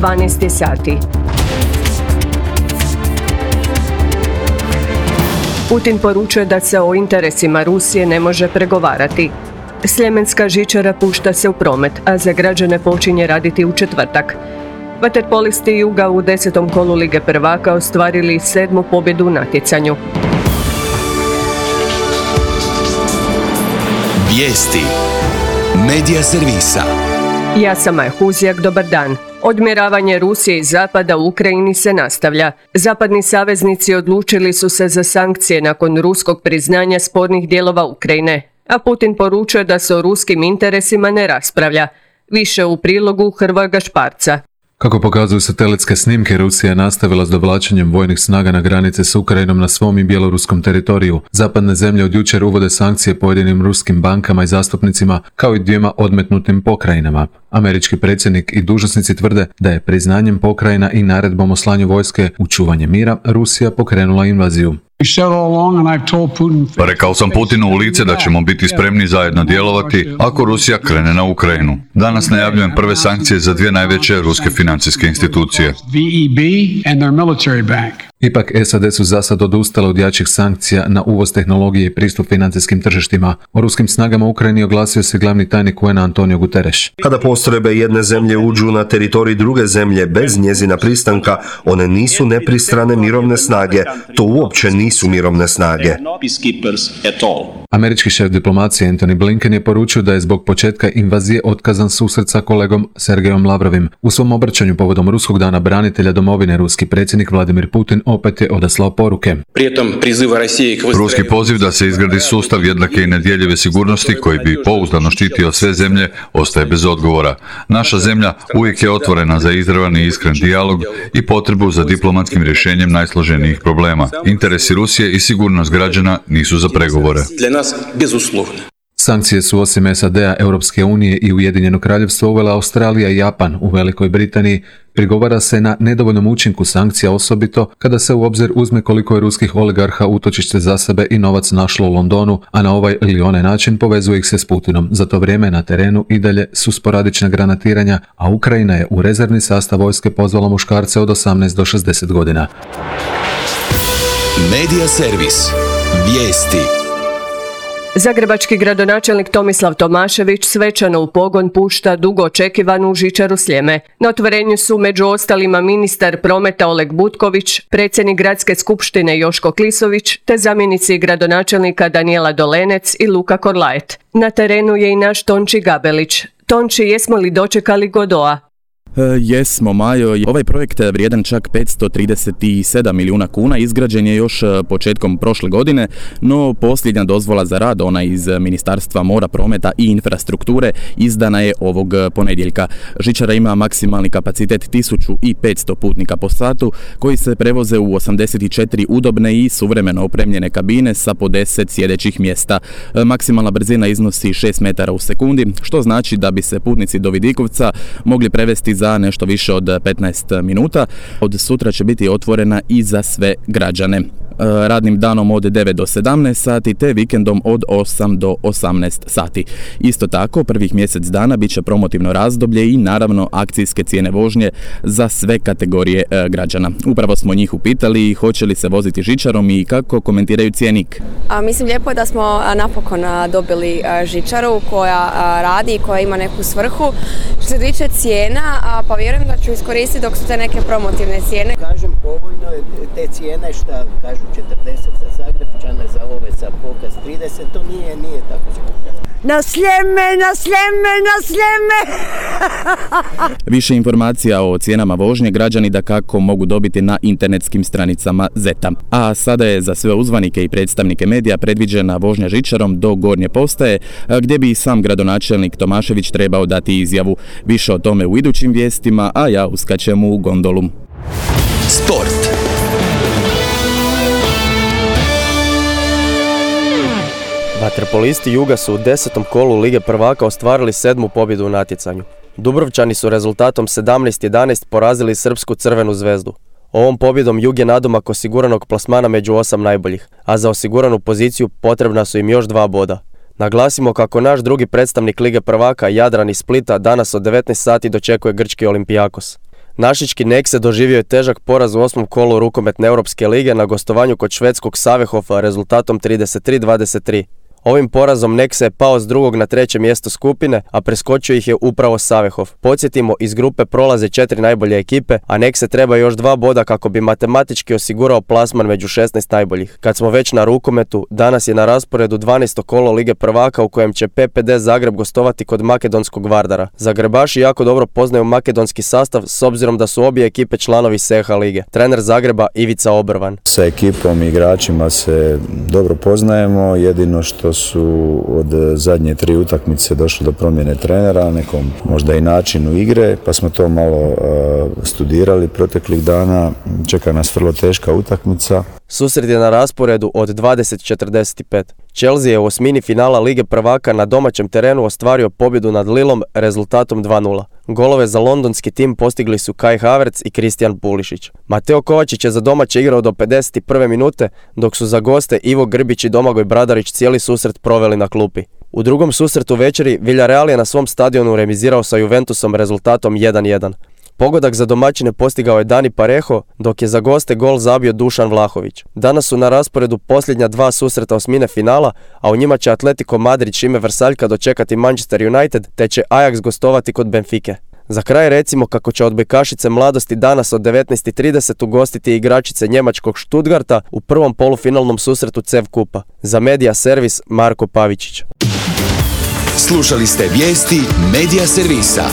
12 sati. Putin poručuje da se o interesima Rusije ne može pregovarati. Sljemenska žičara pušta se u promet, a za građane počinje raditi u četvrtak. Vaterpolisti Juga u 10. kolu Lige prvaka ostvarili 7. pobjedu u natjecanju. Vijesti Medija servisa. Ja sam Maja Huzjak, dobar dan. Odmjeravanje Rusije i Zapada u Ukrajini se nastavlja. Zapadni saveznici odlučili su se za sankcije nakon ruskog priznanja spornih dijelova Ukrajine, a Putin poručuje da se o ruskim interesima ne raspravlja. Više u prilogu Hrvoja Gašparca. Kako pokazuju satelitske snimke, Rusija je nastavila s dovlačenjem vojnih snaga na granice s Ukrajinom na svom i bjeloruskom teritoriju. Zapadne zemlje od jučer uvode sankcije pojedinim ruskim bankama i zastupnicima, kao i 2 odmetnutim pokrajinama. Američki predsjednik i dužnosnici tvrde da je priznanjem pokrajina i naredbom o slanju vojske u čuvanje mira Rusija pokrenula invaziju. Rekao sam Putinu u lice da ćemo biti spremni zajedno djelovati ako Rusija krene na Ukrajinu. Danas najavljujem prve sankcije za 2 najveće ruske financijske institucije. Ipak SAD su zasad odustale od jačih sankcija na uvoz tehnologije i pristup financijskim tržištima. O ruskim snagama u Ukrajini oglasio se glavni tajnik UN-a Antonio Guterres. Kada postrojbe jedne zemlje uđu na teritorij druge zemlje bez njezina pristanka, one nisu nepristrane mirovne snage. To uopće nisu mirovne snage. Američki šef diplomacije Antony Blinken je poručio da je zbog početka invazije otkazan susret sa kolegom Sergejom Lavrovim. U svom obraćanju povodom Ruskog dana branitelja domovine ruski predsjednik Vladimir Putin opet je odaslao poruke. Ruski poziv da se izgradi sustav jednake i nedjeljive sigurnosti koji bi pouzdano štitio sve zemlje ostaje bez odgovora. Naša zemlja uvijek je otvorena za izravan i iskren dijalog i potrebu za diplomatskim rješenjem najsloženijih problema. Interesi Rusije i sigurnost građana nisu za pregovore. Sankcije su osim SAD-a, Europske unije i Ujedinjenog kraljevstva uvela Australija i Japan. U Velikoj Britaniji prigovara se na nedovoljnom učinku sankcija, osobito kada se u obzir uzme koliko je ruskih oligarha utočište za sebe i novac našlo u Londonu, a na ovaj ili onaj način povezuje ih se s Putinom. Za to vrijeme na terenu i dalje su sporadična granatiranja, a Ukrajina je u rezervni sastav vojske pozvala muškarce od 18 do 60 godina. Medija servis. Vijesti. Zagrebački gradonačelnik Tomislav Tomašević svečano u pogon pušta dugo očekivanu žičaru Sljeme. Na otvorenju su među ostalima ministar prometa Oleg Butković, predsjednik gradske skupštine Joško Klisović, te zamjenici gradonačelnika Danijela Dolenec i Luka Korlajet. Na terenu je i naš Tonči Gabelić. Tonči, jesmo li dočekali Godoa? Jesmo, Majo. Ovaj projekt vrijedan čak 537 milijuna kuna izgrađen je još početkom prošle godine, no posljednja dozvola za rad, ona iz Ministarstva mora, prometa i infrastrukture, izdana je ovog ponedjeljka. Žičara ima maksimalni kapacitet 1500 putnika po satu, koji se prevoze u 84 udobne i suvremeno opremljene kabine sa po 10 sjedećih mjesta. Maksimalna brzina iznosi 6 metara u sekundi, što znači da bi se putnici do Vidikovca mogli prevesti za nešto više od 15 minuta. Od sutra će biti otvorena i za sve građane. Radnim danom od 9 do 17 sati te vikendom od 8 do 18 sati. Isto tako, prvih mjesec dana bit će promotivno razdoblje i naravno akcijske cijene vožnje za sve kategorije građana. Upravo smo njih upitali hoće li se voziti žičarom i kako komentiraju cjenik. Mislim, lijepo je da smo napokon dobili žičaru koja radi i koja ima neku svrhu. Što se tiče cijena, pa vjerujem da ću iskoristiti dok su te neke promotivne cijene. Kažem, povoljno je te cijene šta kažu 40 za Zagrepčane, za ove sa pokaz 30, to nije tako skupo. Na Sljeme, na Sljeme, na Sljeme! Više informacija o cijenama vožnje građani dakako mogu dobiti na internetskim stranicama ZET-a. A sada je za sve uzvanike i predstavnike medija predviđena vožnja žičarom do Gornje postaje, gdje bi i sam gradonačelnik Tomašević trebao dati izjavu. Više o tome u idućim vijestima, a ja uskačem u gondolu. Sport. Vaterpolisti Juga su u 10. kolu Lige prvaka ostvarili 7. pobjedu u natjecanju. Dubrovčani su rezultatom 17-11 porazili srpsku Crvenu zvezdu. Ovom pobjedom Jug je nadomak osiguranog plasmana među 8 najboljih, a za osiguranu poziciju potrebna su im još 2 boda. Naglasimo kako naš drugi predstavnik Lige prvaka, Jadran iz Splita, danas od 19 sati dočekuje grčki Olimpijakos. Našički Nexe doživio je težak poraz u 8. kolu rukometne Europske lige na gostovanju kod švedskog Sävehofa rezultatom 33-23. Ovim porazom Nexe je pao s 2. na 3. mjesto skupine, a preskočio ih je upravo Sävehof. Podsjetimo, iz grupe prolaze 4 najbolje ekipe, a Nexe treba još 2 boda kako bi matematički osigurao plasman među 16 najboljih. Kad smo već na rukometu, danas je na rasporedu 12. kolo Lige prvaka u kojem će PPD Zagreb gostovati kod makedonskog Vardara. Zagrebaši jako dobro poznaju makedonski sastav s obzirom da su obje ekipe članovi SEHA lige. Trener Zagreba Ivica Obrvan. Sa ekipom i igračima se dobro poznajemo, jedino što su od zadnje 3 utakmice došlo do promjene trenera, nekom možda i načinu igre, pa smo to malo studirali proteklih dana. Čeka nas vrlo teška utakmica. Susret je na rasporedu od 20:45. Chelsea je u osmini finala Lige prvaka na domaćem terenu ostvario pobjedu nad Lillom rezultatom 2:0. Golove za londonski tim postigli su Kai Havertz i Kristijan Pulišić. Mateo Kovačić je za domaće igrao do 51. minute, dok su za goste Ivo Grbić i Domagoj Bradarić cijeli susret proveli na klupi. U drugom susretu večeri Villarreal je na svom stadionu remizirao sa Juventusom rezultatom 1:1. Pogodak za domaćine postigao je Dani Parejo, dok je za goste gol zabio Dušan Vlahović. Danas su na rasporedu posljednja 2 susreta osmine finala, a u njima će Atletico Madrid Šime Vrsaljka dočekati Manchester United, te će Ajax gostovati kod Benfike. Za kraj recimo kako će odbojkašice Mladosti danas od 19:30 ugostiti igračice njemačkog Stuttgarta u prvom polufinalnom susretu CEV kupa. Za Medija servis Marko Pavičić. Slušali ste vijesti Medija servisa.